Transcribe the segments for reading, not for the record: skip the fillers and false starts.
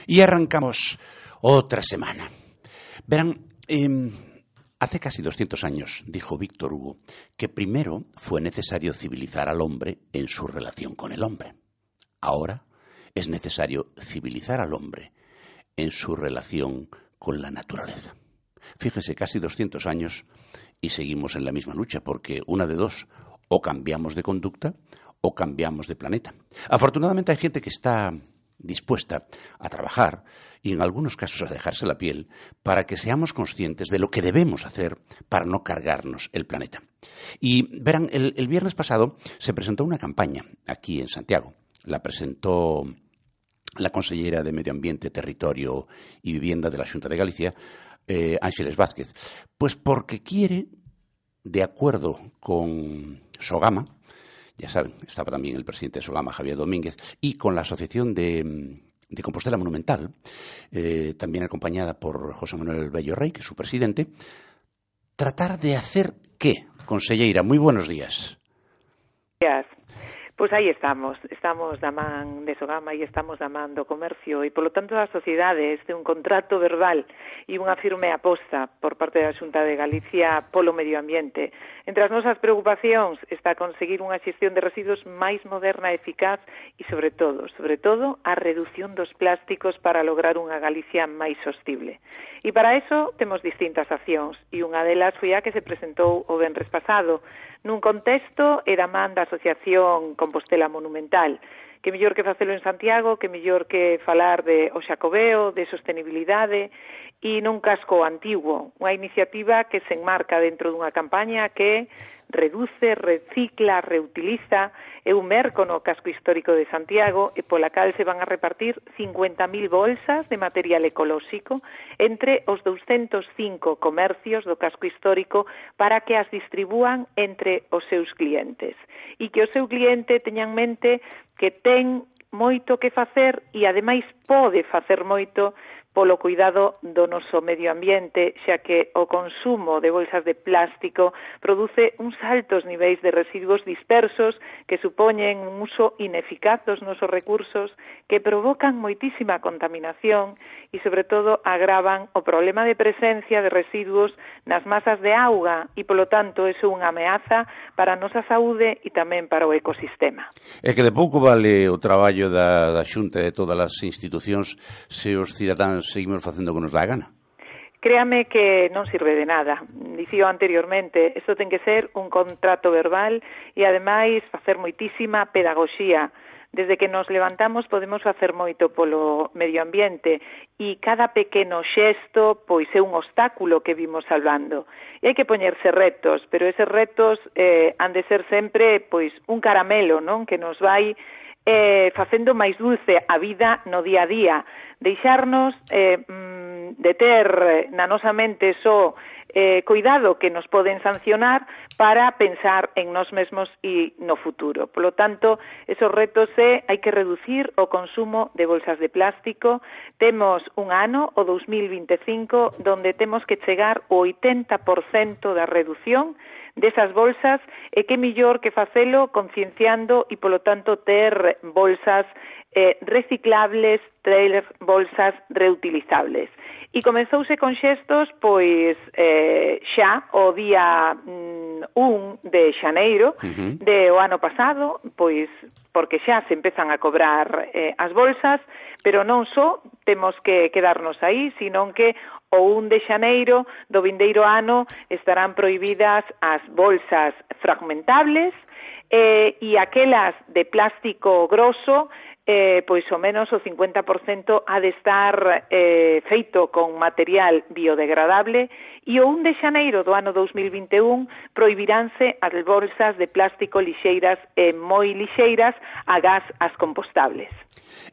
Y arrancamos otra semana. Verán, hace casi 200 años dijo Víctor Hugo que primero fue necesario civilizar al hombre en su relación con el hombre. Ahora es necesario civilizar al hombre en su relación con la naturaleza. Fíjese, casi 200 años y seguimos en la misma lucha, porque una de dos, o cambiamos de conducta o cambiamos de planeta. Afortunadamente hay gente que está dispuesta a trabajar y en algunos casos a dejarse la piel para que seamos conscientes de lo que debemos hacer para no cargarnos el planeta. Y verán, el viernes pasado se presentó una campaña aquí en Santiago. La presentó la consellera de Medio Ambiente, Territorio y Vivienda de la Xunta de Galicia, Ángeles Vázquez, pues porque quiere, de acuerdo con Sogama, ya saben, estaba también el presidente de Sogama, Javier Domínguez, y con la Asociación de Compostela Monumental, también acompañada por José Manuel Bello Rey, que es su presidente, tratar de hacer ¿qué? Conselleira, moi buenos días. Gracias. Pois aí estamos da man de Sogama e estamos da man do comercio e, polo tanto, a sociedade este un contrato verbal e unha firme aposta por parte da Xunta de Galicia polo medio ambiente. Entre as nosas preocupacións está conseguir unha xestión de residuos máis moderna e eficaz e, sobre todo, a reducción dos plásticos para lograr unha Galicia máis sostible. E para eso temos distintas accións e unha delas foi a que se presentou o venres pasado nun contexto e da man da Asociación Compostela Monumental. Que mellor que facelo en Santiago, que mellor que falar de o Xacobeo, de sostenibilidade e nun casco antigo, unha iniciativa que se enmarca dentro dunha campaña que reduce, recicla, reutiliza e un merco no casco histórico de Santiago e pola cal se van a repartir 50.000 bolsas de material ecolóxico entre os 205 comercios do casco histórico para que as distribúan entre os seus clientes e que o seu cliente teña en mente que ten moito que facer e ademais pode facer moito polo cuidado do noso medio ambiente, xa que o consumo de bolsas de plástico produce uns altos niveis de residuos dispersos que supoñen un uso ineficaz dos nosos recursos, que provocan moitísima contaminación e, sobre todo, agravan o problema de presencia de residuos nas masas de auga e, polo tanto, é unha ameaza para a nosa saúde e tamén para o ecosistema. É que de pouco vale o traballo da Xunta e de todas as institucións se os cidadáns seguimos facendo o que nos dá a gana. Créame que non sirve de nada. Dicío anteriormente, isto ten que ser un contrato verbal e, ademais, facer moitísima pedagogía. Desde que nos levantamos podemos facer moito polo medio ambiente e cada pequeno xesto pois é un obstáculo que vimos salvando. E hai que poñerse retos, pero eses retos han de ser sempre pois un caramelo, non? Que nos vai facendo máis dulce a vida no día a día. Deixarnos de ter na nosa mente só cuidado que nos poden sancionar para pensar en nós mesmos e no futuro. Por lo tanto, esos retos hai que reducir o consumo de bolsas de plástico. Temos un ano, o 2025, donde temos que chegar ao 80% da reducción desas bolsas e que mellor que facelo concienciando e, polo tanto, ter bolsas reciclables, ter bolsas reutilizables. E comenzouse con xestos, pois, xa o día 1 de xaneiro de o ano pasado, pois, porque xa se empezan a cobrar as bolsas, pero non só temos que quedarnos aí, sino que o 1 de xaneiro do vindeiro ano estarán prohibidas as bolsas fragmentables e aquelas de plástico grosso, pois ao menos o 50% ha de estar feito con material biodegradable e o 1 de xaneiro do ano 2021 prohibiránse as bolsas de plástico lixeiras e moi lixeiras agás as compostables.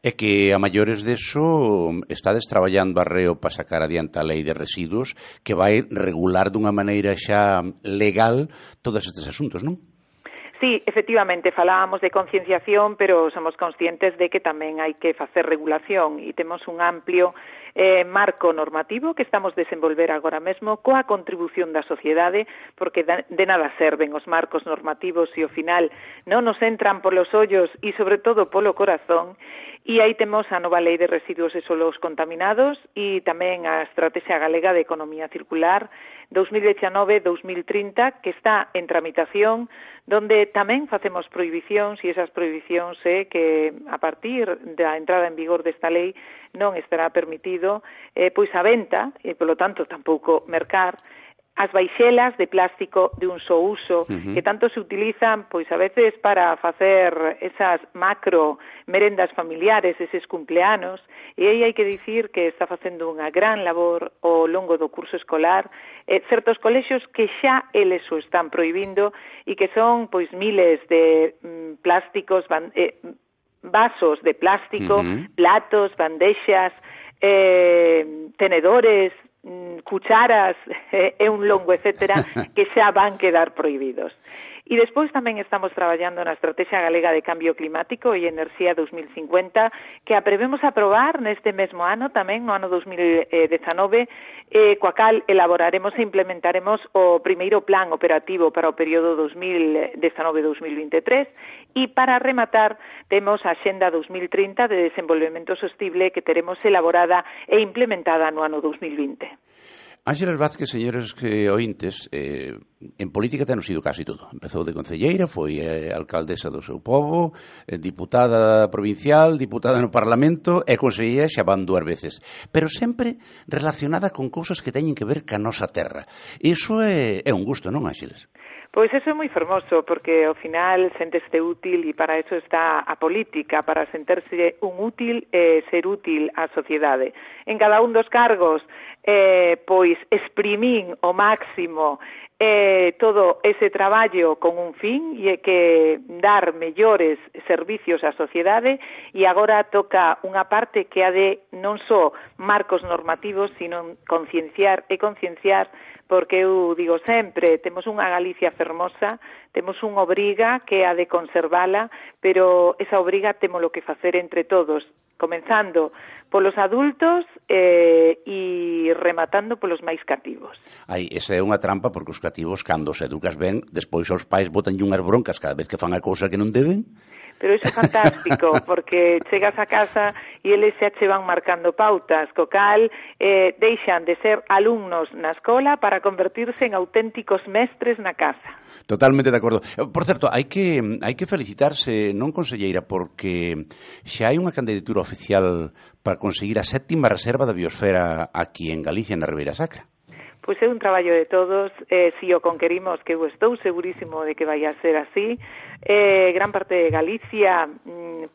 É que a maiores deso estades traballando arreo para sacar adiante a lei de residuos que vai regular dunha maneira xa legal todos estes asuntos, non? Sí, efectivamente, falábamos de concienciación, pero somos conscientes de que tamén hai que facer regulación e temos un amplio marco normativo que estamos desenvolver agora mesmo coa contribución da sociedade, porque de nada serven os marcos normativos se ao final non nos entran polos ollos e, sobre todo, polo corazón. E aí temos a nova Lei de Residuos e Solos Contaminados e tamén a Estrategia Galega de Economía Circular 2019-2030, que está en tramitación, donde tamén facemos prohibicións e esas prohibicións é que a partir da entrada en vigor desta lei non estará permitido pois a venta e, polo tanto, tampouco mercar as baixelas de plástico de un só uso, que tanto se utilizan, pois a veces para facer esas macro merendas familiares, eses cumpleanos, e aí hai que dicir que está facendo unha gran labor ao longo do curso escolar, certos colexios que xa eles o están prohibindo e que son pois miles de plásticos, vasos de plástico, platos, bandexas, tenedores, cucharas e un longo etcétera que xa van quedar prohibidos. E despois tamén estamos traballando na Estrategia Galega de Cambio Climático e Enerxía 2050, que a prevemos aprobar neste mesmo ano, tamén no ano 2019, coa cal elaboraremos e implementaremos o primeiro plan operativo para o período 2019-2023 e para rematar temos a Axenda 2030 de Desenvolvemento Sostible que teremos elaborada e implementada no ano 2020. Ángeles Vázquez, señores ointes, en política ten sido casi todo. Empezou de concelleira, foi alcaldesa do seu pobo, diputada provincial, diputada no Parlamento e conselleira xa van 2 veces. Pero sempre relacionada con cousas que teñen que ver ca nosa terra. Iso é un gusto, non, Ángeles? Pois eso é moi fermoso, porque ao final senteste útil e para eso está a política, para senterse un útil e ser útil á sociedade. En cada un dos cargos, pois exprimín o máximo todo ese traballo con un fin e que dar mellores servicios á sociedade e agora toca unha parte que ha de non só marcos normativos, sino concienciar porque eu digo sempre, temos unha Galicia fermosa, temos unha obriga que ha de conservala, pero esa obriga temos lo que facer entre todos, comenzando polos adultos e rematando polos máis cativos. Esa é unha trampa porque os cativos, cando se educas ben, despois os pais botanlle unhas broncas cada vez que fan a cousa que non deben. Pero iso é fantástico, porque chegas a casa e eles xa che van marcando pautas, co cal deixan de ser alumnos na escola para convertirse en auténticos mestres na casa. Totalmente de acordo. Por certo, hai que felicitarse, non, conselleira, porque xa hai unha candidatura oficial para conseguir a 7ª reserva da biosfera aquí en Galicia, na Ribeira Sacra. Pois é un traballo de todos, si o conquerimos, que eu estou segurísimo de que vai a ser así, gran parte de Galicia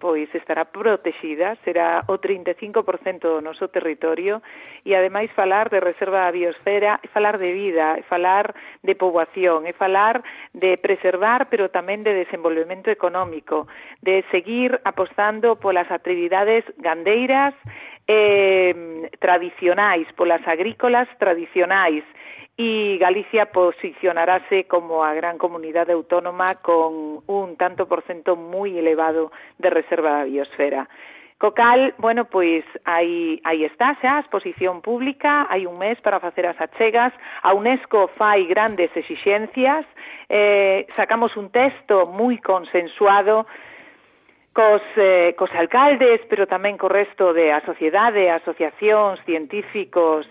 pois estará protexida, será o 35% do noso territorio e ademais falar de reserva da biosfera é falar de vida, é falar de poboación, é falar de preservar pero tamén de desenvolvemento económico, de seguir apostando polas actividades gandeiras tradicionais, polas agrícolas tradicionais e Galicia posicionarase como a gran comunidade autónoma con un tanto por cento moi elevado de reserva da biosfera. Co cal, bueno, pois aí está xa a exposición pública, hai un mes para facer as achegas, a UNESCO fai grandes exixencias, sacamos un texto moi consensuado cos alcaldes, pero tamén co resto de a sociedade, asociacións, científicos,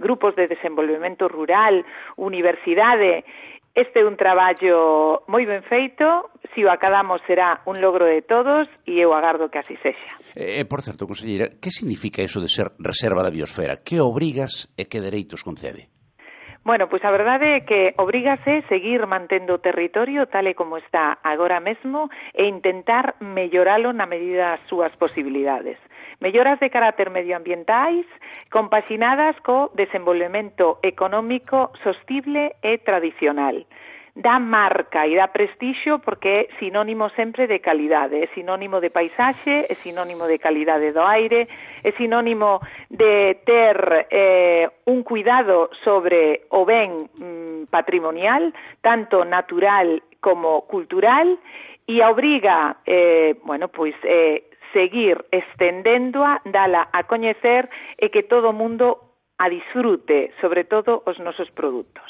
grupos de desenvolvemento rural, universidade. Este é un traballo moi ben feito, se o acadamos será un logro de todos e eu agardo que así sexa. Por certo, conselleira, que significa eso de ser reserva da biosfera? Que obrigas e que dereitos concede? Bueno, pois a verdade é que obrígase seguir mantendo o territorio tal e como está agora mesmo e intentar melloralo na medida das súas posibilidades. Melloras de carácter medioambientais compaxinadas co desenvolvemento económico sostible e tradicional. Dá marca e dá prestixio porque é sinónimo sempre de calidade, é sinónimo de paisaxe, é sinónimo de calidade do aire, é sinónimo de ter un cuidado sobre o ben patrimonial, tanto natural como cultural, e a obriga, seguir estendéndoa, dala a coñecer e que todo o mundo a disfrute, sobre todo os nosos produtos.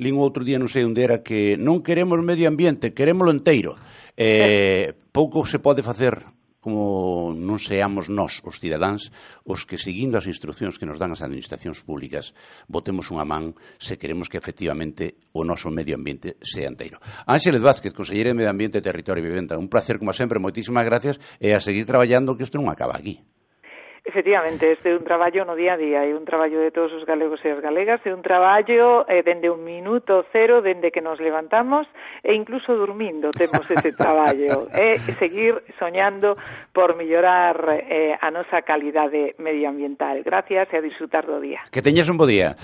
Lín outro día, non sei onde era, que non queremos medio ambiente, querémolo enteiro. Pouco se pode facer como non seamos nós, os cidadáns, os que, seguindo as instruccións que nos dan as administracións públicas, botemos unha man se queremos que, efectivamente, o noso medio ambiente sea enteiro. Ánxeles Vázquez, conselleira de Medio Ambiente, Territorio e Vivenda, un placer, como sempre, moitísimas gracias, e a seguir traballando, que isto non acaba aquí. Efectivamente, este é un traballo no día a día, é un traballo de todos os galegos e as galegas, é un traballo dende un minuto cero, dende que nos levantamos, e incluso dormindo temos ese traballo, é seguir soñando por mellorar a nosa calidade medioambiental. Gracias e a disfrutar do día. Que teñas un bo día.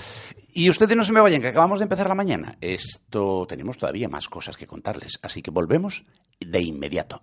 Y ustedes no se me vayan, que acabamos de empezar la mañana. Tenemos todavía más cosas que contarles, así que volvemos de inmediato.